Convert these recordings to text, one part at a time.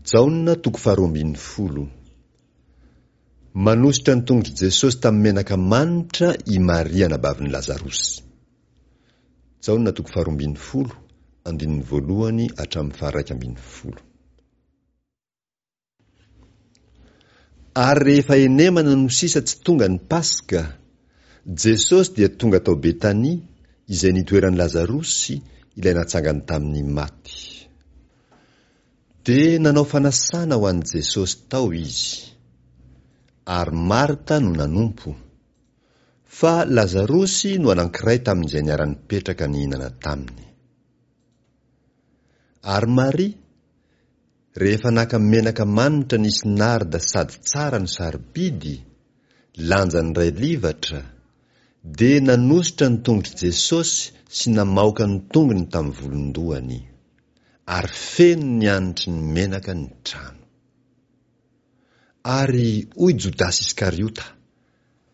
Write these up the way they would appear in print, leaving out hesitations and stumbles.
Jaona toko faharoa ambin'ny folo. Manosotra ny tongotr'i Jesosy tamin'ny menaka manitra i Maria anabavin'i Lazarosy. Jaona toko faharoa ambin'ny folo, andininy voalohany hatramin'ny faharaika ambin'ny folo. Ary rehefa henemana no sisa tsy tonga ny Paska, Jesosy dia tonga tao Betania, izay nitoeran'i Lazarosy, ilay natsangany tamin'ny maty. Dia nanao fanasana ho an'i Jesosy tao izy. Ary Marta no nanompo. Fa Lazarosy no anankiray tamin'izay niara-nipetraka nihinana taminy. Ary Maria, rehefa naka menaka manitra nisy narda sady tsara no sarobidy, lanjany iray livatra, dia nanosotra ny tongotr'i Jesosy sy namaoka ny tongony tamin'ny volon-dohany. Ary feno ny hanitry ny menaka ny trano. Ary hoy Jodasy Iskariota,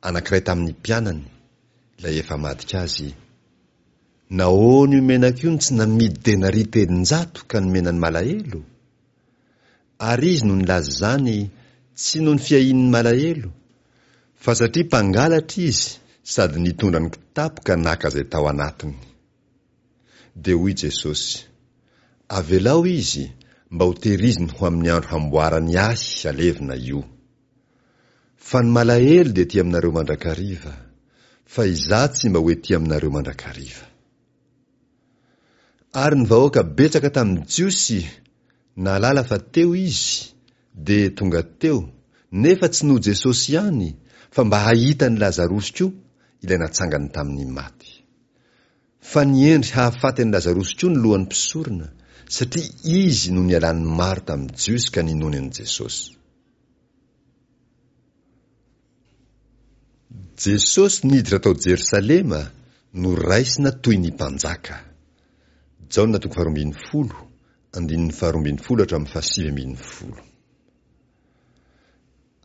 anankiray tamin'ny mpianany, ilay efa hamadika azy, Nahoana io menaka io no tsy namidy denaria 300 ka nomena ny malahelo? Ary izy no nilaza izany tsy noho ny fiahian'ny malahelo, fa satria mpangalatra izy sady nitondra ny kitapo ka naka izay tao anatiny. Dia hoy Jesosy, Avelao izy mba ho tehiriziny ho amin'ny andro hamboarany ahy alevina io. Fa ny malahelo dia ety aminareo mandrakariva, fa izaho tsy mba ho ety aminareo mandrakariva. Ary ny vahoaka betsaka tamin'ny Jiosy nahalala fa teo izy, dia tonga teo, nefa tsy noho Jesosy ihany, fa mba hahita an'i Lazarosy koa, ilay natsangany tamin'ny maty. Fa nihendry hahafaty an'i Lazarosy koa ny lohan'ny mpisorona, satria izy no nialan'ny maro tamin'ny Jiosy ka ninoany an'i Jesosy. Jesosy niditra tao Jerosalema noraisina toy ny mpanjaka. Jaona toko faharoa ambin'ny folo, andininy faharoa ambin'ny folo hatramin'ny fahasivy ambin'ny folo.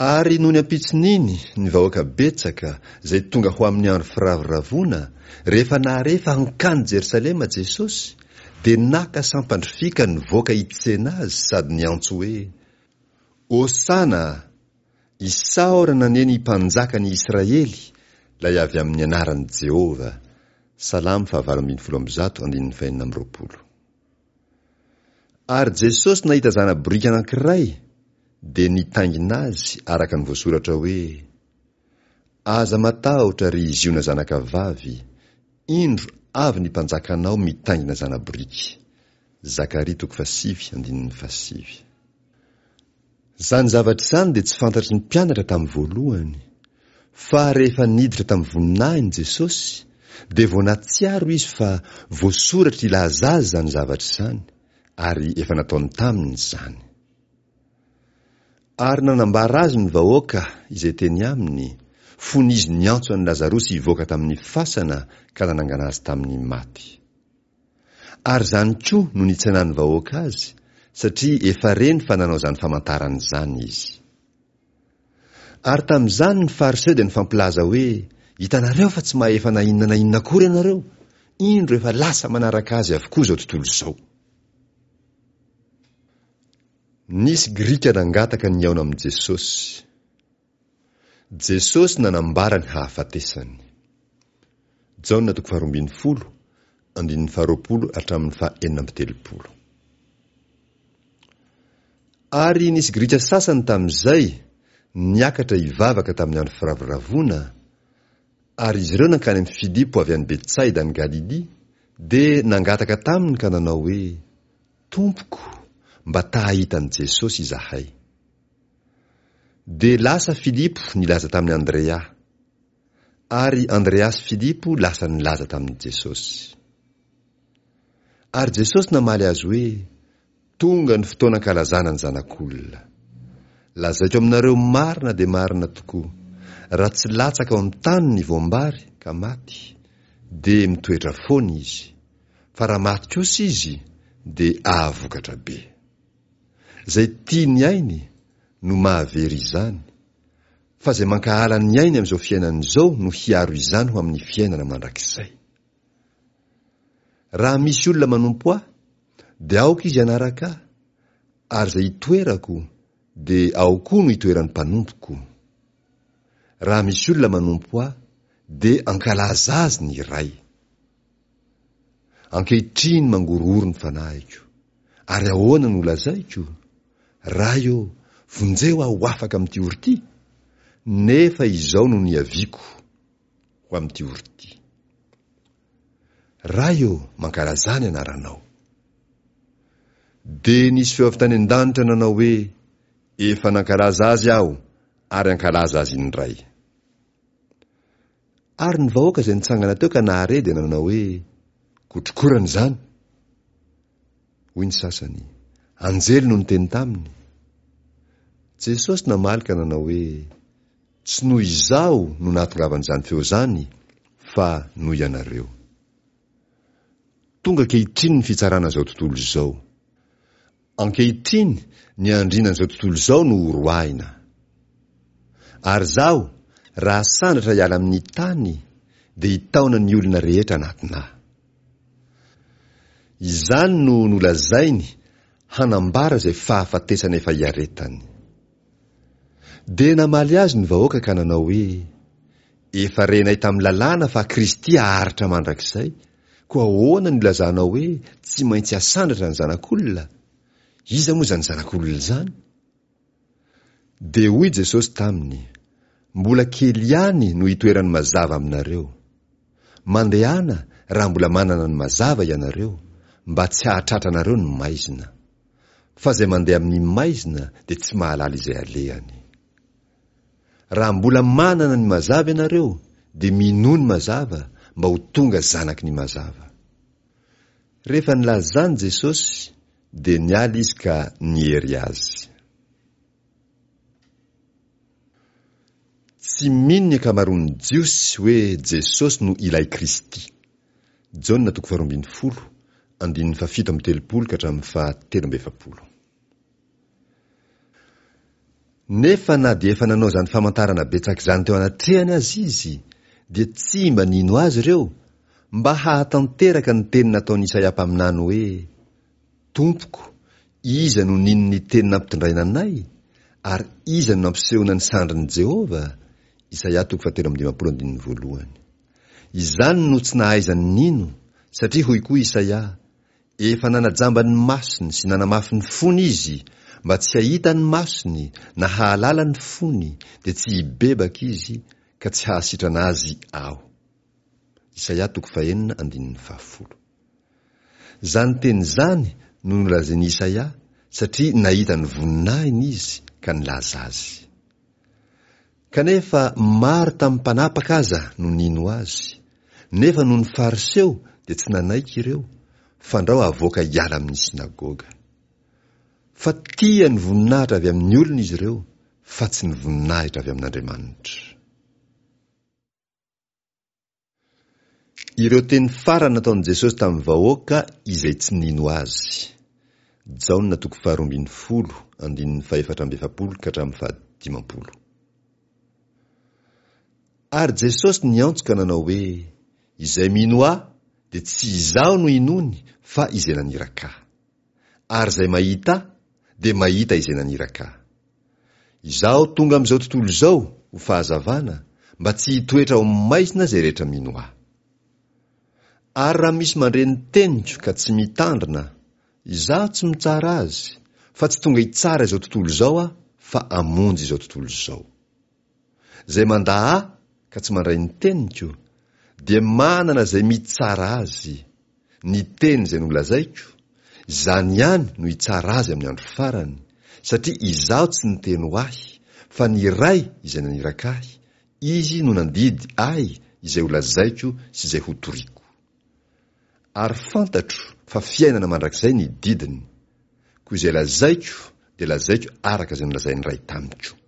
Ary nony ampitson'iny, ny vahoaka betsaka, izay tonga ho amin'ny andro firavoravoana, rehefa nahare fa hankany Jerosalema Jesosy, dia naka sampandrifia ka nivoaka hitsena Azy sady niantso hoe, Hosana! Isaorana anie ny Mpanjakan' i Israely, ilay avy amin'ny anaran'i Jehovah! Salamo fahavalo ambin'ny folo amby zato andininy fahenina amby roapolo. Ary Jesosy nahita zana-boriky anankiray, dia nitaingina azy araka ny voasoratra hoe, Aza matahotra, ry Ziona zanakavavy, indro avy ny mpanjakanao mitaingina zana-boriky. Zakaria toko fahasivy andininy fahasivy. Izany zavatra izany dia tsy fantatry ny mpianatra tamin'ny voalohany, fa rehefa niditra tamin'ny voninahiny Jesosy, dia vao nahatsiaro izy fa voasoratra hilaza azy izany zavatra izany, ary efa nataony taminy izany. Ary nanambara azy ny vahoaka izay teny aminy, fony izy niantso an'i Lazarosy hivoaka tamin'ny fasana ka nanangana azy tamin'ny maty. Ary izany koa no nitsenan'ny vahoaka azy, satria efa reny fa nanao izany famantarana izany izy. Ary tamin'izany ny Fariseo dia nifampilaza hoe, Hitanareo fa tsy mahefa na inona na inona akory ianareo, indro efa lasa manaraka azy avokoa izao tontolo izao. Nisy Grika nangataka ny hihaona amin'i Jesosy. Jesosy nanambara ny hahafatesany. Jaona toko faharoa ambin'ny folo, andininy faharoapolo hatramin'ny faha enina amby telopolo. Ary nisy Grika sasany tamin'izay niakatra hivavaka tamin'ny andro firavoravoana, ary izy ireo nankany amin'i Filipo avy any Betsaida any Galilia, dia nangataka taminy ka nanao hoe, Tompoko, mba ta-hahita an'i Jesosy izahay. Dia lasa Filipo nilaza tamin'i Andrea. Ary Andrea sy Filipo lasa nilaza tamin'i Jesosy. Ary Jesosy namaly azy hoe, Tonga ny fotoana ankalazana ny Zanak'olona. Lazaiko aminareo marina dia marina tokoa, raha tsy latsaka ao amin'ny tany ny voam-bary ka maty, dia mitoetra foana izy, fa raha maty kosa izy, dia ahavokatra be. Izay tia ny ainy no mahavery izany, fa izay mankahala ny ainy amin'izao fiainana izao no hiaro izany ho amin'ny fiainana mandrakizay. Raha misy olona manompo ahy, dia aoka izy hanaraka ahy, Ary izay itoerako, dia ao koa no itoeran'ny mpanompoko. Raha misy olona manompo Ahy, dia hankalaza azy ny Ray. Ankehitriny mangorohoro ny fanahiko. Ary ahoana no holazaiko? Ray ô, vonjeo aho ho afaka amin'ity ory ity? Nefa izao no niaviako ho amin'ity ory ity. Ray ô, mankalazà ny anaranao. Dia nisy feo avy tany an-danitra nanao hoe, Efa nankalaza azy aho, ary hankalaza azy indray. Ary ny vahoaka izay nitsangana teo ka nahare dia nanao hoe, Kotrokorana izany! Hoy ny sasany, Anjely no niteny taminy. Jesosy namaly ka nanao hoe, Tsy noho izaho no nahatongavan'izany feo izany, fa noho ianareo. Tonga ankehitriny ny fitsarana izao tontolo izao. Ankehitriny ny andrinan'izao tontolo izao no horoahina. Ary izaho, raha sandratra hiala amin'ny tany, dia hitaona ny olona rehetra hanatona ahy. Izany no nolazainy hanambara izay fahafatesana efa hiaretany. Dia namaly azy ny vahoaka ka nanao hoe, Efa renay tamin'ny lalàna fa Kristy haharitra mandrakizay, koa ahoana no ilazanao hoe tsy maintsy hasandratra ny Zanak'olona? Iza moa izany Zanak'olona izany? Dia hoy Jesosy taminy, Mbola kely ihany no hitoeran'ny mazava aminareo. Mandehana raha mbola manana ny mazava ianareo, mba tsy hahatratra anareo ny maizina. Fa izay mandeha amin'ny maizina dia tsy mahalala izay alehany. Raha mbola manana ny mazava ianareo, dia minoa ny mazava mba ho tonga zanaky ny mazava. Rehefa nilaza izany Jesosy, dia niala izy ka niery azy. Tsy mino ny ankamaroan'ny Jiosy hoe Jesosy no ilay Kristy. Jaona toko faharoambinifolo, andininy fahafito amby telopolo ka hatramin'ny fahatelo amby efapolo. Nefa na dia efa nanao izany famantarana betsaka izany teo anatrehany aza izy, dia tsy mba nino azy ireo, mba hahatanteraka ny teny nataon'i Isaia mpaminany hoe, Tompoko, iza no nino ny teny nampitondraina anay, ary iza no nampisehoana ny sandrin'i Jehovah? Isaia toko fahatelo amby dimampolo andininy voalohany. Izany no tsy nahaizany nino, satria hoy koa Isaia, Efa nanajamba ny masony sy nanamafy ny fony izy, mba tsy hahita ny masony na hahalala ny fony, dia tsy hibebaka izy, ka tsy hahasitrana azy Aho. Isaia toko fahenina andininy fahafolo. Izany teny izany no nolazain'i Isaia, satria nahita ny voninahiny izy ka nilaza azy. Kanefa maro tamin'ny mpanapaka aza no nino azy, nefa noho ny Fariseo dia tsy nanaiky ireo, fandrao havoaka hiala amin'ny synagoga. Fa tia ny voninahitra avy amin'ny olona izy ireo, fa tsy ny voninahitra avy amin'Andriamanitra. Ireo teny farany nataon'i Jesosy tamin'ny vahoaka izay tsy nino Azy. Jaona toko faharoambinifolo, andininy fahefatra amby efapolo ka hatramin'ny fahadimampolo. Ary Jesosy niantso ka nanao hoe, Izay mino Ahy dia tsy Izaho no inoany fa Izay naniraka Ahy. Ary izay mahita Ahy dia mahita Izay naniraka Ahy. Izaho tonga amin'izao tontolo izao ho fahazavana, mba tsy hitoetra ao amin'ny maizina izay rehetra mino Ahy. Ary raha misy mandre ny teniko ka tsy mitandrina, Izaho tsy mitsara azy, fa tsy tonga hitsara izao tontolo izao Aho, fa hamonjy izao tontolo izao. Izay mandà Ahy ka tsy mandray ny teniko, dia manana izay mitsara azy, Ny teny izay nolazaiko, izany ihany no hitsara azy amin'ny andro farany, satria izaho tsy niteny ho ahy, fa ny Ray izay naniraka ahy, Izy no nandidy ahy izay holazaiko sy izay hotoriko. Ary fantatro fa fiainana mandrakizay ny didiny, koa izay lazaiko dia lazaiko araka izay nolazain'ny Ray tamiko.